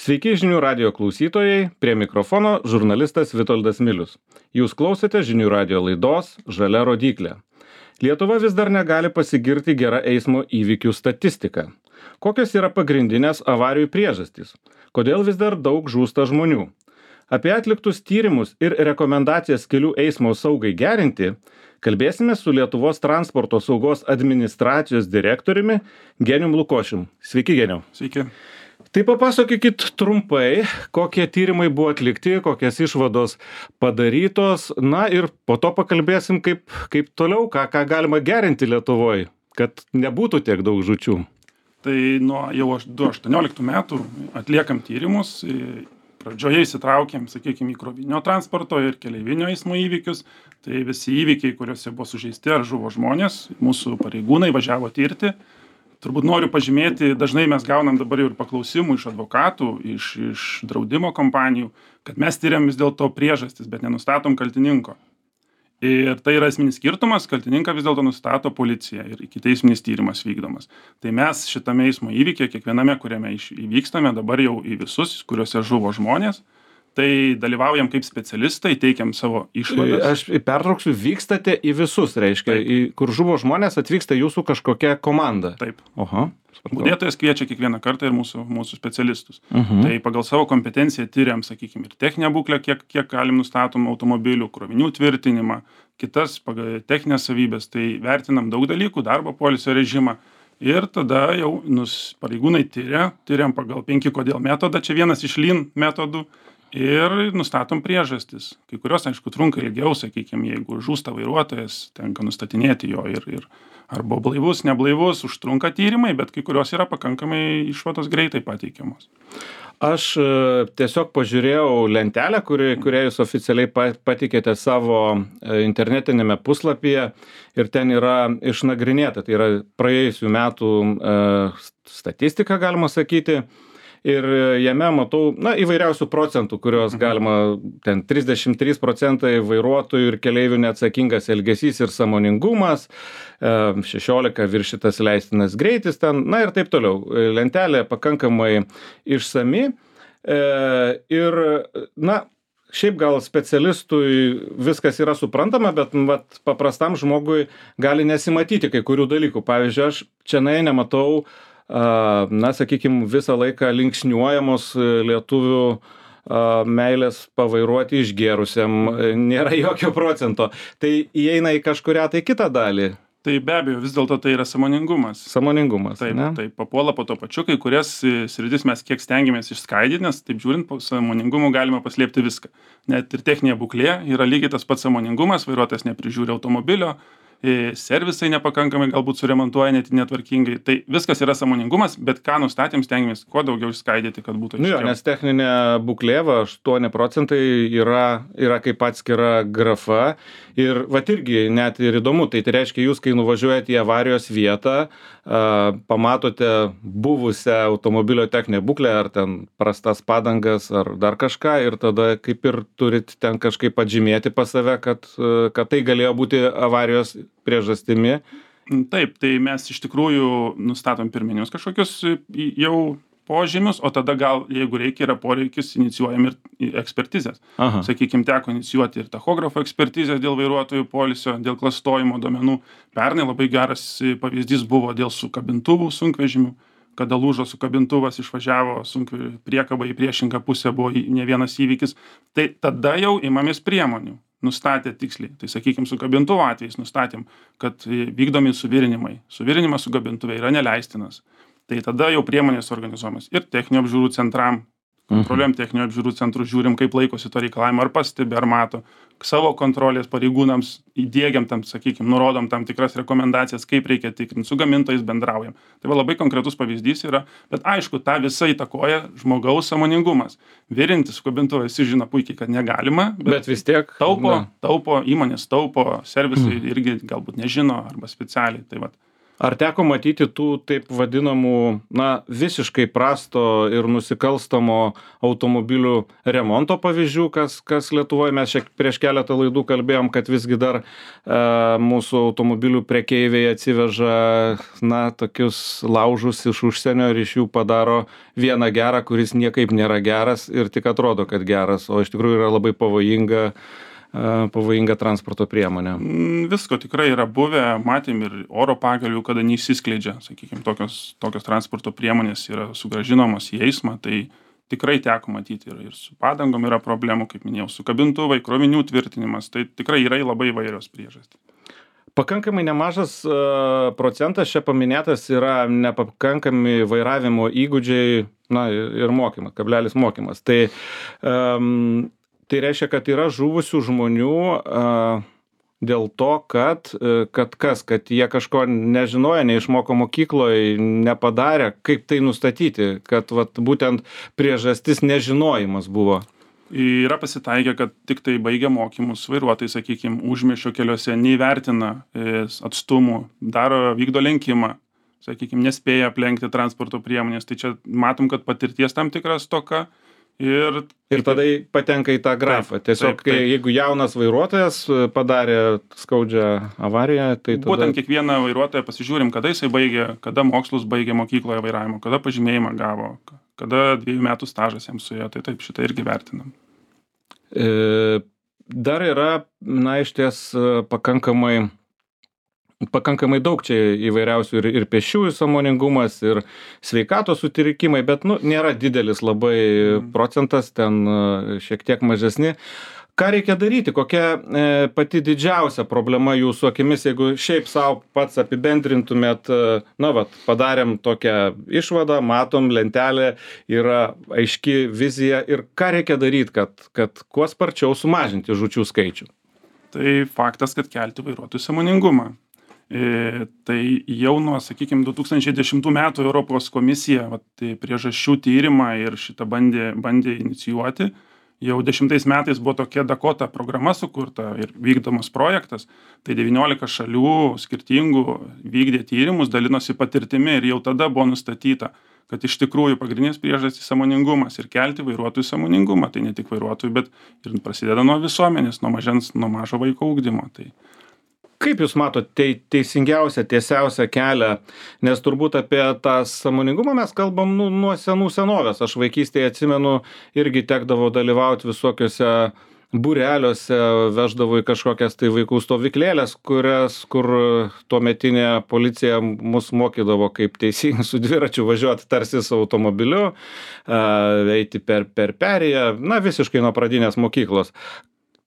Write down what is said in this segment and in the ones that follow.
Sveiki žinių radio klausytojai, prie mikrofono žurnalistas Vitoldas Milius. Jūs klausėte žinių radio laidos Žalia rodyklė. Lietuva vis dar negali pasigirti gera eismo įvykių statistika. Kokios yra pagrindinės avarijų priežastys? Kodėl vis dar daug žūsta žmonių? Apie atliktus tyrimus ir rekomendacijas kelių eismo saugai gerinti kalbėsime su Lietuvos transporto saugos administracijos direktoriumi Genijum Lukošium. Sveiki, Genijau. Sveiki. Tai papasakokit trumpai, kokie tyrimai buvo atlikti, kokias išvados padarytos, na ir po to pakalbėsim, kaip toliau, ką galima gerinti Lietuvoje, kad nebūtų tiek daug žūčių. Tai nuo jau 2018 metų atliekam tyrimus, pradžioje įsitraukėm, sakykime, į krovininio transporto ir keleivinio eismo įvykius. Tai visi įvykiai, kuriuose buvo sužeisti ar žuvo žmonės, mūsų pareigūnai važiavo tirti. Turbūt noriu pažymėti, dažnai mes gaunam dabar jau ir paklausimų iš advokatų, iš draudimo kompanijų, kad mes tyriam vis dėlto priežastis, bet nenustatom kaltininko. Ir tai yra esminis skirtumas, kaltininką vis dėlto nustato policija ir ikiteisminis tyrimas vykdomas. Tai mes šitame eismo įvykyje, kiekviename, kuriame įvykstame, dabar jau į visus, kuriuose žuvo žmonės, tai dalyvaujam kaip specialistai, teikiam savo išvadas. Aš pertrauksiu, vykstate į visus, reiškia, kur žuvo žmonės, atvyksta jūsų kažkokia komanda. Taip. Oha. Budėtojas kviečia kiekvieną kartą ir mūsų specialistus. Tai pagal savo kompetenciją tyriam, sakykime, ir techninę būklę, kiek galim nustatom automobilių, krovinių tvirtinimą, kitas pagal techninės savybės, tai vertinam daug dalykų, darbo poilsio režimą. Ir tada jau pareigūnai tyriam pagal 5 kodėl metodą, čia vienas iš LEAN metodų. Ir nustatom priežastis. Kai kurios, aišku, trunka ilgiau, sakykime, jeigu žūsta vairuotojas, tenka nustatinėti jo ir arba blaivus, neblaivus, užtrunka tyrimai, bet kai kurios yra pakankamai išvados greitai pateikiamos. Aš tiesiog pažiūrėjau lentelę, kurią jūs oficialiai patikėte savo internetinėme puslapyje ir ten yra išnagrinėta, tai yra praėjusių metų statistika, galima sakyti. Ir jame matau, įvairiausių procentų, kurios galima, ten 33% vairuotojų ir keleivių neatsakingas elgesys ir sąmoningumas, 16 viršytas leistinas greitis ten, ir taip toliau. Lentelė pakankamai išsami ir, šiaip gal specialistui viskas yra suprantama, bet paprastam žmogui gali nesimatyti kai kurių dalykų. Pavyzdžiui, aš čia nematau sakykime, visą laiką linksniuojamos lietuvių meilės pavairuoti išgėrusiam, nėra jokio procento. Tai įeina į kažkurią tai kitą dalį. Tai be abejo, vis dėlto tai yra sąmoningumas. Sąmoningumas, Taip, papuola po to pačiu, kai kurias sritis mes kiek stengiamės išskaidyti, nes taip žiūrint, po sąmoningumu galima paslėpti viską. Net ir techninė būklė yra lygiai tas pats sąmoningumas, vairuotojas neprižiūri automobilio, servisai nepakankamai galbūt suremontuoja netvarkingai. Tai viskas yra sąmoningumas, bet ką nustatėm, stengiamės kuo daugiau išskaidyti, kad būtų aiškiau. Nes techninė būklė 8% yra kaip atskira grafa ir irgi net ir įdomu, tai reiškia, jūs kai nuvažiuojate į avarijos vietą, pamatote buvusią automobilio techninę būklę, ar ten prastas padangas, ar dar kažką, ir tada kaip ir turit ten kažkaip atžymėti pas save, kad tai galėjo būti avarijos priežastimi. Taip, tai mes iš tikrųjų nustatom pirminius kažkokius jau požymius, o tada gal, jeigu reikia, yra poreikis, inicijuojam ir ekspertizės. Sakykime, teko inicijuoti ir tachografo ekspertizės dėl vairuotojų poilsio, dėl klastojimo duomenų. Pernai labai geras pavyzdys buvo dėl sukabintuvų sunkvežimių, kada lūžo sukabintuvas, išvažiavo priekaba į priešingą pusę, buvo ne vienas įvykis. Tai tada jau imamės priemonių. Nustatė tiksliai. Tai sakykime, su kabintuvo atvejais nustatėm, kad vykdomi suvirinimai. Suvirinimas su kabintuvė yra neleistinas. Tai tada jau priemonės organizuojamas ir techninio apžiūrų centram. Kontroliuojam techninio apžiūrų centrus, žiūrim, kaip laikosi to reikalavimo, ar pastebi, ar mato. Savo kontrolės pareigūnams įdiegiam tam, sakykime, nurodom tam tikras rekomendacijas, kaip reikia tikrinti, su gamintojais bendraujam. Tai labai konkretus pavyzdys yra, bet aišku, tą visą įtakoja žmogaus sąmoningumas. Virinti su kabintuvu visi žino puikiai, kad negalima, bet vis tiek taupo, įmonės taupo, servisai irgi galbūt nežino arba specialiai. Tai Ar teko matyti tų taip vadinamų, visiškai prasto ir nusikalstamo automobilių remonto pavyzdžių, kas Lietuvoje? Mes prieš keletą laidų kalbėjom, kad visgi dar mūsų automobilių prekeiviai atsiveža, tokius laužus iš užsienio ir iš jų padaro vieną gerą, kuris niekaip nėra geras ir tik atrodo, kad geras, o iš tikrųjų yra labai pavojinga transporto priemonė. Visko tikrai yra buvę, matėm ir oro pagalių, kada neišsiskleidžia, sakykime, tokios transporto priemonės yra sugrąžinamos į eismą, tai tikrai teko matyti ir su padangom yra problemų, kaip minėjau, su kabintuvai, krovinių tvirtinimas, tai tikrai yra labai įvairios priežastys. Pakankamai nemažas procentas čia paminėtas yra nepakankami vairavimo įgūdžiai, ir mokymas. Tai reiškia, kad yra žuvusių žmonių dėl to, kad jie kažko nežinojo, neišmoko mokykloje, nepadarė, kaip tai nustatyti, kad būtent priežastis nežinojimas buvo. Yra pasitaikę, kad tik tai baigę mokymus vairuotojai, sakykime, užmiesčio keliuose neįvertina atstumų, vykdo lenkimą, sakykime, nespėja aplenkti transporto priemonės. Tai čia matom, kad patirties tam tikras stoka. Ir tada patenka į tą grafą. Tiesiog, jeigu jaunas vairuotojas padarė skaudžią avariją, tai tada... Būtent kiekvieną vairuotoją pasižiūrim, kada jisai baigė, kada mokslus baigė mokykloje vairavimo, kada pažymėjimą gavo, kada 2 metų stažas jam suėjo, tai taip šitą irgi vertinam. Dar yra, išties pakankamai daug čia įvairiausių ir pėsčiųjų sąmoningumas, ir sveikatos sutrikimai, bet nėra didelis labai procentas, ten šiek tiek mažesni. Ką reikia daryti? Kokia pati didžiausia problema jūsų akimis, jeigu šiaip savo pats apibendrintumėt, padarėm tokią išvadą, matom lentelę, yra aiški vizija ir ką reikia daryti, kad kuo sparčiau sumažinti žūčių skaičių? Tai faktas, kad kelti vairuotojų sąmoningumą. Tai jau nuo, sakykime, 2010 metų Europos komisija priežasčių tyrimą ir šitą bandė inicijuoti. Jau 10 metais buvo tokia Dakota programa sukurta ir vykdomas projektas. Tai 19 šalių skirtingų vykdė tyrimus, dalinosi patirtimi ir jau tada buvo nustatyta, kad iš tikrųjų pagrindinės priežastys sąmoningumas ir kelti vairuotojų sąmoningumą. Tai ne tik vairuotojų, bet ir prasideda nuo visuomenės, nuo mažo vaiko ugdymo. Kaip Jūs matote teisingiausią, tiesiausią kelią, nes turbūt apie tą sąmoningumą mes kalbam nuo senų senovės. Aš vaikystėje atsimenu, irgi tekdavo dalyvauti visokiuose būreliuose, veždavo į kažkokias tai vaikų stovyklėlės, kur tuometinė policija mus mokydavo, kaip teisingai su dviračiu važiuoti tarsi su automobiliu, eiti per perėją, visiškai nuo pradinės mokyklos.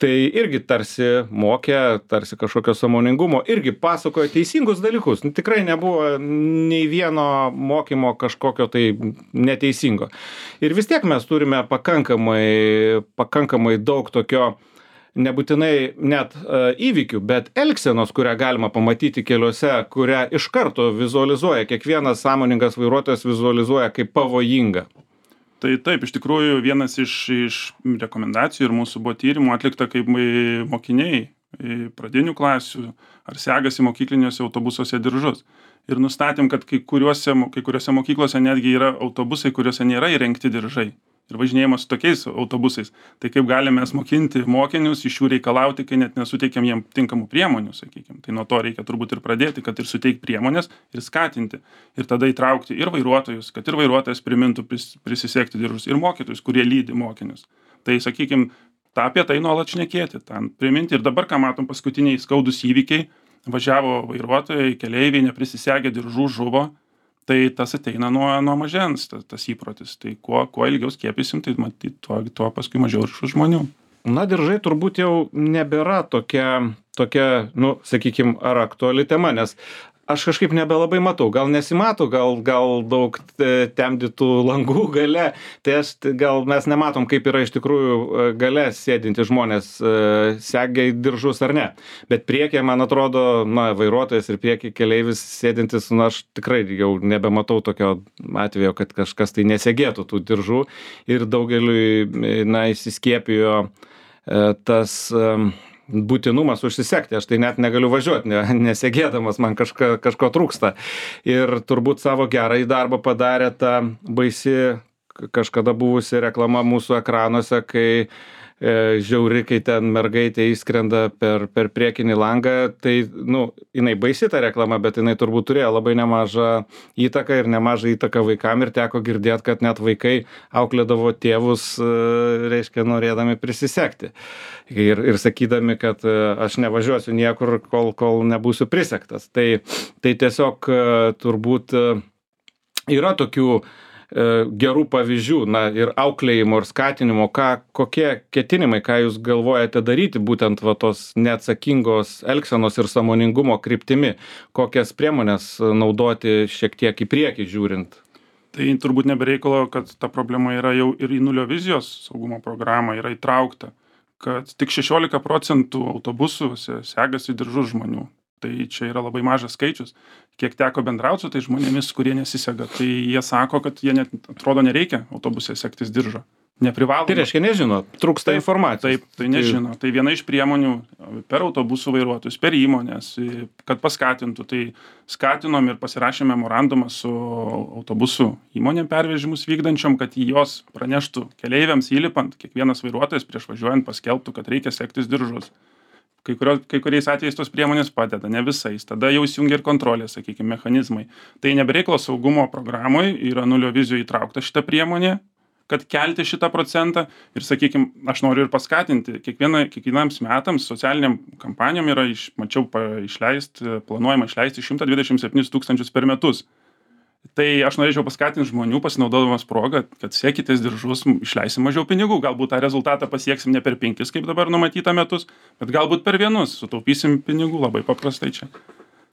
Tai irgi tarsi mokė, tarsi kažkokio sąmoningumo, irgi pasakojo teisingus dalykus. Tikrai nebuvo nei vieno mokymo kažkokio tai neteisingo. Ir vis tiek mes turime pakankamai daug tokio, nebūtinai net įvykių, bet elgsenos, kurią galima pamatyti keliuose, kurią iš karto vizualizuoja, kiekvienas sąmoningas vairuotojas vizualizuoja kaip pavojinga. Tai taip, iš tikrųjų vienas iš rekomendacijų ir mūsų buvo tyrimų atlikta, kaip mokiniai pradinių klasių ar segasi mokykliniuose autobusuose diržus. Ir nustatėm, kad kai kuriuose mokyklose netgi yra autobusai, kuriuose nėra įrengti diržai. Ir važinėjimas su tokiais autobusais. Tai kaip galime mes mokinti mokinius, iš jų reikalauti, kai net nesuteikiam jiem tinkamų priemonių, sakykime. Tai nuo to reikia turbūt ir pradėti, kad ir suteikti priemonės ir skatinti. Ir tada įtraukti ir vairuotojus, kad ir vairuotojas primintų prisisegti diržus, ir mokytojus, kurie lydi mokinius. Tai, sakykime, apie tai nuolat šnekėti, ten priminti. Ir dabar, ką matom, paskutiniai skaudūs įvykiai, važiavo vairuotojai, keleiviai, neprisisegė diržų, žuvo. Tai tas ateina nuo mažens, tas įprotis. Tai kuo ilgiau skiepysim, tai matyt, tuo paskui mažiau ir šių žmonių. Diržai turbūt jau nebėra tokia, sakykime, ar aktuali tema, nes aš kažkaip nebelabai matau. Gal nesimato, gal daug temdytų langų gale. Tai gal mes nematom, kaip yra iš tikrųjų gale sėdinti žmonės, segia diržus ar ne. Bet priekyje, man atrodo, vairuotojas ir priekyje keleivis sėdintis, aš tikrai jau nebematau tokio atvejo, kad kažkas tai nesegėtų tų diržų. Ir daugeliui, įsiskiepijo tas būtinumas užsisekti. Aš tai net negaliu važiuoti, nesėgėdamas, man kažko trūksta. Ir turbūt savo gerąjį darbą padarė ta baisi kažkada buvusi reklama mūsų ekranuose, kai žiauri, kai ten mergaitė įskrenda per priekinį langą, tai, jinai baisi ta reklama, bet jinai turbūt turėjo labai nemažą įtaką ir nemažą įtaką vaikam ir teko girdėti, kad net vaikai auklėdavo tėvus, reiškia, norėdami prisisekti. Ir sakydami, kad aš nevažiuosiu niekur, kol nebūsiu prisektas. Tai tiesiog turbūt yra tokių gerų pavyzdžių, ir auklėjimo, ir skatinimo, kokie ketinimai, ką jūs galvojate daryti, būtent tos neatsakingos elgsenos ir sąmoningumo kryptimi, kokias priemonės naudoti šiek tiek į priekį žiūrint? Tai turbūt nebereikalo, kad ta problema yra jau ir į nulio vizijos saugumo programą yra įtraukta, kad tik 16% autobusuose segasi diržus žmonių. Tai čia yra labai mažas skaičius. Kiek teko bendrauti su tai žmonėmis, kurie nesisega, tai jie sako, kad jie net atrodo nereikia autobuse segtis diržo. Neprivaloma. Tai reiškia nežino, trūksta informacijos. Taip, tai nežino. Tai viena iš priemonių per autobusų vairuotojus, per įmonės, kad paskatintų. Tai skatinom ir pasirašėme memorandumą su autobusų įmonėm pervežimus vykdančiom, kad jos praneštų keleiviams įlipant, kiekvienas vairuotojas prieš važiuojant paskelbtų, kad reikia segtis diržus. Kai kuriais atvejais tos priemonės padeda, ne visais. Tada jau įsijungia ir kontrolės, sakykime, mechanizmai. Tai nebereikalo saugumo programoje yra nulio vizijoje įtraukta šita priemonė, kad kelti šitą procentą. Ir, sakykime, aš noriu ir paskatinti. Kiekvienams metams socialiniam kampanijom yra, planuojama išleisti 127 000 per metus. Tai aš norėčiau paskatinti žmonių, pasinaudodamas progą, kad sekitės diržus, išleisim mažiau pinigų. Galbūt tą rezultatą pasieksim ne per 5, kaip dabar numatyta metus, bet galbūt per 1, sutaupysim pinigų, labai paprastai čia.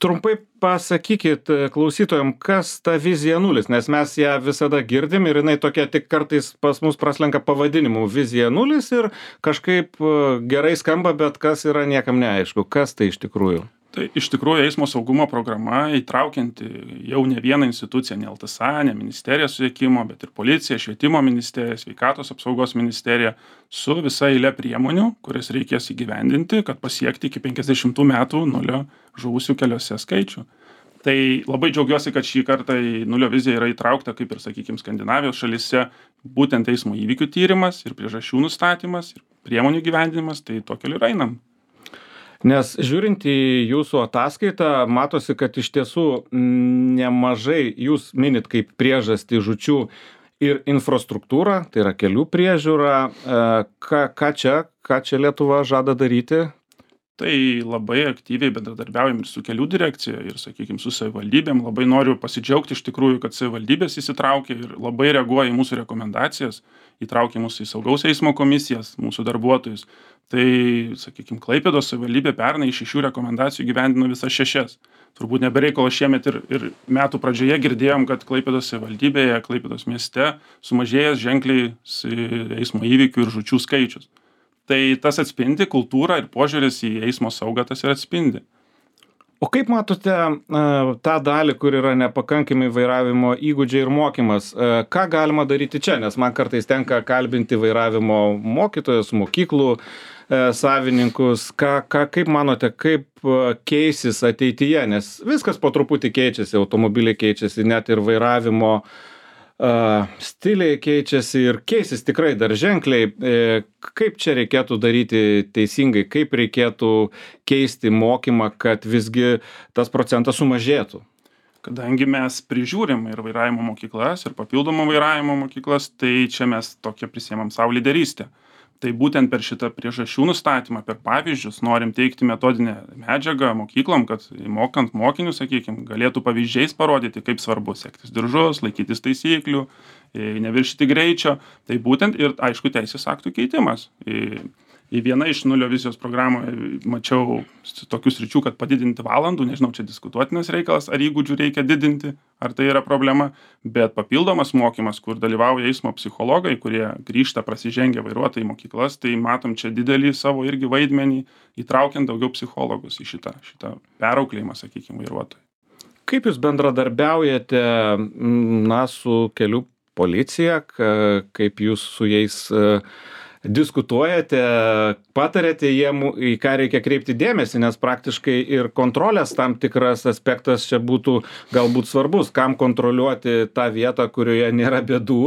Trumpai pasakykit klausytojam, kas ta vizija 0, nes mes ją visada girdim ir jinai tokia tik kartais pas mus praslenka pavadinimu vizija 0 ir kažkaip gerai skamba, bet kas yra niekam neaišku, kas tai iš tikrųjų. Tai iš tikrųjų eismo saugumo programa įtraukianti jau ne vieną instituciją, ne LTSA, ne ministerija susisiekimo, bet ir policija, švietimo ministerija, sveikatos apsaugos ministerija su visa eilė priemonių, kurias reikės įgyvendinti, kad pasiekti iki 50 metų nulio žuvusių keliuose skaičių. Tai labai džiaugiuosi, kad šį kartą į nulio viziją yra įtraukta, kaip ir, sakykime, Skandinavijos šalyse, būtent eismo įvykių tyrimas ir priežasčių nustatymas ir priemonių gyvendinimas, tai to keliu ir einam. Nes žiūrint į jūsų ataskaitą, matosi, kad iš tiesų nemažai jūs minit kaip priežastį žūčių ir infrastruktūrą, tai yra kelių priežiūra. Ką čia Lietuva žada daryti? Tai labai aktyviai bendradarbiaujam ir su kelių direkcija ir, sakykime, su savivaldybėm. Labai noriu pasidžiaugti iš tikrųjų, kad savivaldybės įsitraukia ir labai reaguoja į mūsų rekomendacijas, įtraukia mūsų į saugaus eismo komisijas, mūsų darbuotojus. Tai, sakykime, Klaipėdos savivaldybė pernai iš 6 rekomendacijų gyvendino visas 6. Turbūt nebereikalo šiemet ir metų pradžioje girdėjom, kad Klaipėdos savivaldybėje, Klaipėdos mieste sumažėjęs ženkliai eismo įvykių ir žūčių skaičius. Tai tas atspindi kultūrą ir požiūris į eismo saugą, tas ir atspindi. O kaip matote tą dalį, kur yra nepakankami vairavimo įgūdžiai ir mokymas? Ką galima daryti čia? Nes man kartais tenka kalbinti vairavimo mokytojus, mokyklų savininkus. Kaip manote, kaip keisis ateityje? Nes viskas po truputį keičiasi, automobiliai keičiasi, net ir vairavimo stiliai keičiasi ir keisis tikrai dar ženkliai. Kaip čia reikėtų daryti teisingai, kaip reikėtų keisti mokymą, kad visgi tas procentas sumažėtų? Kadangi mes prižiūrim ir vairavimo mokyklas, ir papildomą vairavimo mokyklas, tai čia mes tokią prisiemam savo lyderystę. Tai būtent per šitą priežasčių nustatymą, per pavyzdžius, norim teikti metodinę medžiagą mokyklom, kad mokant mokinius, sakykime, galėtų pavyzdžiais parodyti, kaip svarbu sektis diržus, laikytis taisyklių, neviršyti greičio. Tai būtent ir, aišku, teisės aktų keitimas. Į vieną iš nulio vizijos programoje mačiau tokius sričių, kad padidinti valandų, nežinau, čia diskutuotinas reikalas, ar įgūdžių reikia didinti, ar tai yra problema, bet papildomas mokymas, kur dalyvauja eismo psichologai, kurie grįžta prasižengę vairuotojai į mokyklas, tai matom čia didelį savo irgi vaidmenį, įtraukiant daugiau psichologus į šitą perauklėjimą, sakykime, vairuotojai. Kaip jūs bendradarbiaujate su kelių policija, kaip jūs su jais diskutuojate, patarėte jiem, į ką reikia kreipti dėmesį, nes praktiškai ir kontrolės tam tikras aspektas čia būtų galbūt svarbus, kam kontroliuoti tą vietą, kurioje nėra bėdų.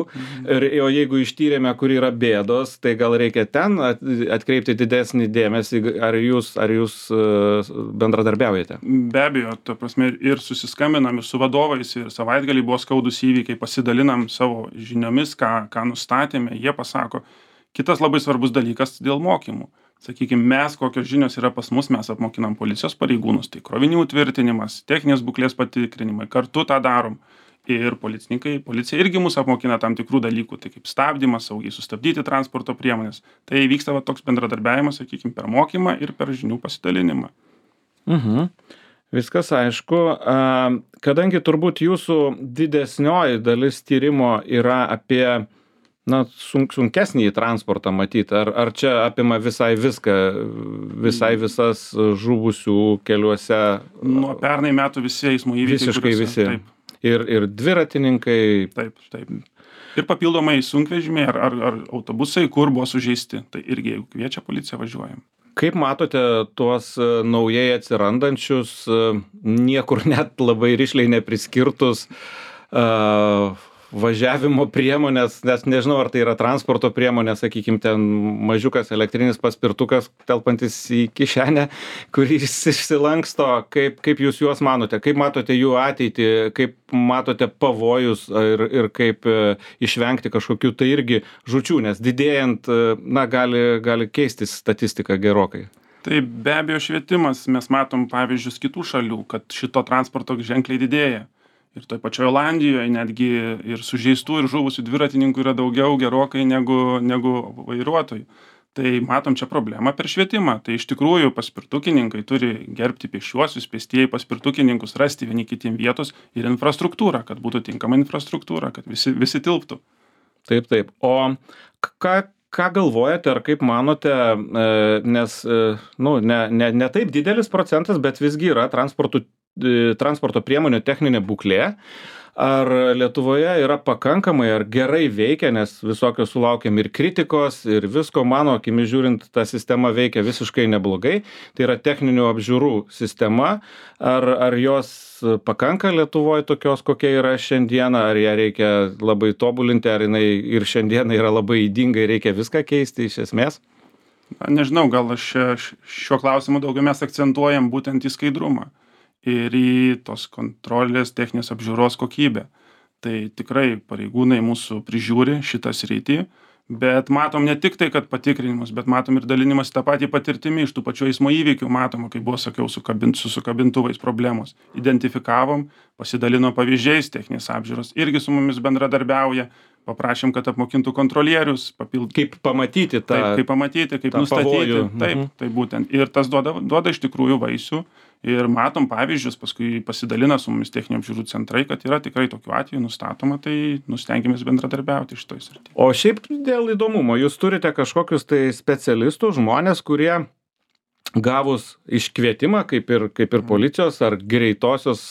O jeigu ištyrėme, kur yra bėdos, tai gal reikia ten atkreipti didesnį dėmesį, ar jūs bendradarbiaujate? Be abejo, ta prasme, ir susiskambinam ir su vadovais, ir savaitgalį buvo skaudus įvykiai, pasidalinam savo žiniomis, ką nustatėme, jie pasako. Kitas labai svarbus dalykas dėl mokymų. Sakykime, mes, kokios žinios yra pas mus, mes apmokinam policijos pareigūnus, tai krovinių tvirtinimas, techninės būklės patikrinimai, kartu tą darom. Ir policija irgi mus apmokina tam tikrų dalykų, tai kaip stabdymas, saugiai sustabdyti transporto priemonės. Tai vyksta toks bendradarbiavimas, sakykime, per mokymą ir per žinių pasidalinimą. Viskas aišku. Kadangi turbūt jūsų didesnioji dalis tyrimo yra apie sunkesnį transportą matyti, ar čia apima visai viską, visas žuvusių keliuose? Nuo pernai metų visi eismo įvykiai. Visiškai visi. Taip. Ir dviratininkai. Taip. Ir papildomai sunkvežimiai ar autobusai, kur buvo sužeisti. Tai irgi, jeigu kviečia policija, važiuojam. Kaip matote tuos naujai atsirandančius, niekur net labai rišliai nepriskirtus važiavimo priemonės, nes nežinau, ar tai yra transporto priemonė, sakykime, ten mažiukas elektrinis paspirtukas telpantis į kišenę, kuris išsilanksto. Kaip jūs juos manote? Kaip matote jų ateitį? Kaip matote pavojus ir kaip išvengti kažkokių tai irgi žūčių, nes didėjant, gali keistis statistika gerokai. Tai be abejo švietimas. Mes matom pavyzdžius kitų šalių, kad šito transporto ženkliai didėja. Ir toj pačioje Olandijoje netgi ir sužeistų ir žuvusių dviratininkų yra daugiau gerokai negu vairuotojų. Tai matom čia problemą per švietimą. Tai iš tikrųjų paspirtukininkai turi gerbti pėsčiuosius, pėstieji paspirtukininkus, rasti vieni kitiem vietos ir infrastruktūrą, kad būtų tinkama infrastruktūra, kad visi tilptų. Taip. O ką galvojate ar kaip manote, nes ne taip didelis procentas, bet visgi yra transporto priemonių techninė būklė. Ar Lietuvoje yra pakankamai ar gerai veikia, nes visokio sulaukiam ir kritikos, ir visko, mano akimis žiūrint, ta sistema veikia visiškai neblogai. Tai yra techninių apžiūrų sistema. Ar jos pakanka Lietuvoje tokios, kokia yra šiandieną, ar ją reikia labai tobulinti, ar jinai ir šiandieną yra labai ydinga ir reikia viską keisti iš esmės? Nežinau, gal šiuo klausimu daugiau mes akcentuojam būtent į skaidrumą ir į tos kontrolės techninės apžiūros kokybę. Tai tikrai pareigūnai mūsų prižiūri šitą sritį, bet matom ne tik tai, kad patikrinimus, bet matom ir dalinimas tą patį patirtimį iš tų pačių eismo įvykių, matom, kaip buvo, sakiau, su sukabintuvais problemos. Identifikavom, pasidalino pavyzdžiais techninės apžiūros, irgi su mumis bendradarbiauja, paprašėm, kad apmokintų kontrolierius, Kaip pamatyti tą kaip pamatyti, kaip nustatyti. pavojų. Taip, tai būtent. Ir tas duoda iš tikrųjų vaisių. Ir matom pavyzdžius, paskui pasidalina su mumis techninių apžiūrų centrai, kad yra tikrai tokių atvejų nustatoma, tai stengiamės bendradarbiauti šitoj srityje. O šiaip dėl įdomumo, jūs turite kažkokius tai specialistus, žmonės, kurie gavus iškvietimą, kaip ir policijos ar greitosios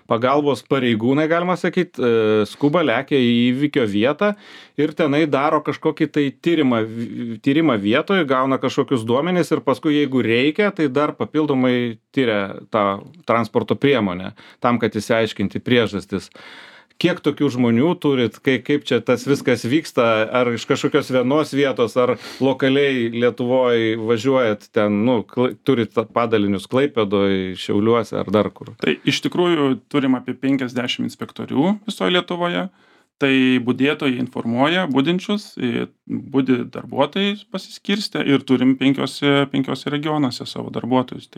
pagalbos pareigūnai, galima sakyti, skuba lekia į įvykio vietą ir tenai daro kažkokį tai tyrimą vietoje, gauna kažkokius duomenis ir paskui, jeigu reikia, tai dar papildomai tyria tą transporto priemonę, tam, kad išsiaiškinti priežastis. Kiek tokių žmonių turit, kaip čia tas viskas vyksta, ar iš kažkokios vienos vietos, ar lokaliai Lietuvoje važiuojat ten, turit padalinius Klaipėdoje, Šiauliuose ar dar kur? Tai iš tikrųjų turim apie 50 inspektorių visoje Lietuvoje. Tai budėtojai informuoja budinčius, budi darbuotojai pasiskirstę ir turim penkiose regionuose savo darbuotojus.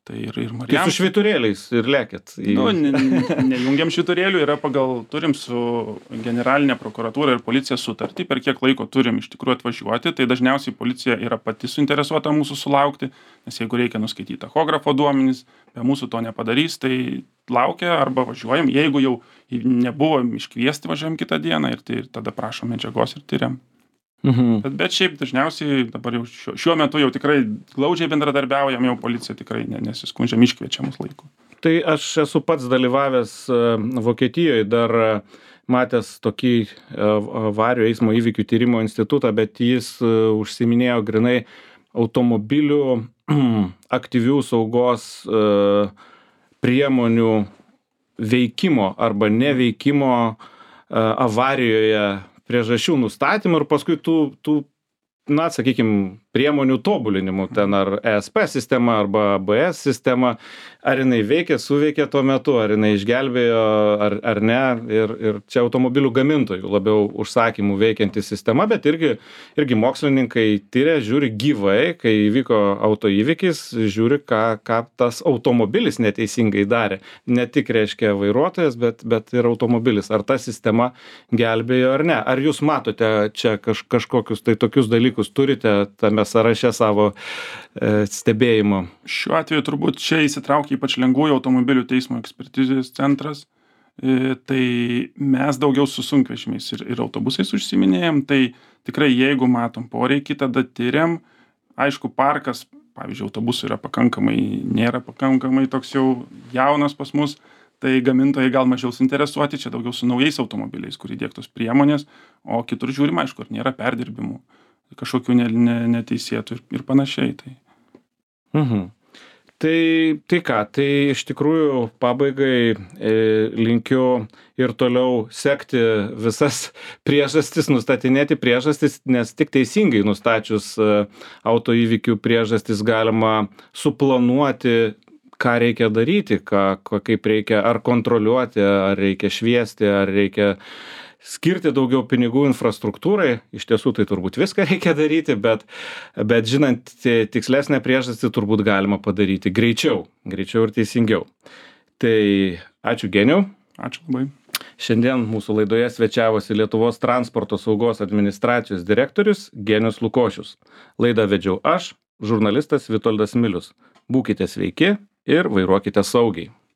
Tai ir Marijampolė. Tai su švyturėliais ir lekėt? Nejungiam švyturėlių, turim su generalinė prokuratūra ir policija sutartį, per kiek laiko turim iš tikrųjų atvažiuoti, tai dažniausiai policija yra pati suinteresuota mūsų sulaukti, nes jeigu reikia nuskaityti tachografo duomenis, be mūsų to nepadarys, tai laukia arba važiuojam, jeigu jau nebuvom iškviesti, važiuojam kitą dieną ir tada prašom medžiagos ir tyriam. Bet šiaip dažniausiai dabar jau šiuo metu jau tikrai glaudžiai bendradarbiaujam, jau policija tikrai nesiskundžiam, iškviečiamus laiku. Tai aš esu pats dalyvavęs Vokietijoje dar matęs tokį avarijų eismo įvykių tyrimo institutą, bet jis užsiiminėjo grynai automobilių aktyvių saugos priemonių veikimo arba neveikimo avarijoje priežasčių nustatymų ir paskui tų na, sakykim, priemonių tobulinimų, ten ar ESP sistema arba ABS sistema, ar jinai veikia, suveikia tuo metu, ar jinai išgelbėjo, ar ne, ir čia automobilių gamintojų labiau užsakymų veikianti sistema, bet irgi mokslininkai tyria, žiūri gyvai, kai įvyko autoįvykis, žiūri, ką tas automobilis neteisingai darė. Ne tik, reiškia, vairuotojas, bet ir automobilis. Ar ta sistema gelbėjo ar ne. Ar jūs matote čia kažkokius tai tokius dalykus turite tame sąraše savo stebėjimo? Šiuo atveju turbūt čia įsitraukia ypač lengvųjų automobilių teismo ekspertizės centras. Tai mes daugiau su sunkvežimiais ir autobusais užsiiminėjom. Tai tikrai jeigu matom poreikį, tada tyriam. Aišku, parkas, pavyzdžiui, autobusų nėra pakankamai toks jau jaunas pas mus. Tai gamintojai gal mažiau suinteresuoti, čia daugiau su naujais automobiliais, kur įdiegtos priemonės, o kitur žiūrim, aišku, ar nėra perdirbimų, kažkokių neteisėtų ir panašiai. Tai ką, tai iš tikrųjų pabaigai linkiu ir toliau sekti visas priežastis, nustatinėti priežastis, nes tik teisingai nustačius autoįvykių priežastis galima suplanuoti, ką reikia daryti, kaip reikia ar kontroliuoti, ar reikia šviesti, ar reikia skirti daugiau pinigų infrastruktūrai. Iš tiesų tai turbūt viską reikia daryti, bet žinant tikslesnę priežastį turbūt galima padaryti greičiau ir teisingiau. Tai ačiū Geniau. Ačiū labai. Šiandien mūsų laidoje svečiavosi Lietuvos transporto saugos administracijos direktorius Genius Lukošius. Laidą vedžiau aš, žurnalistas Vitoldas Milius. Būkite sveiki ir vairuokite saugiai.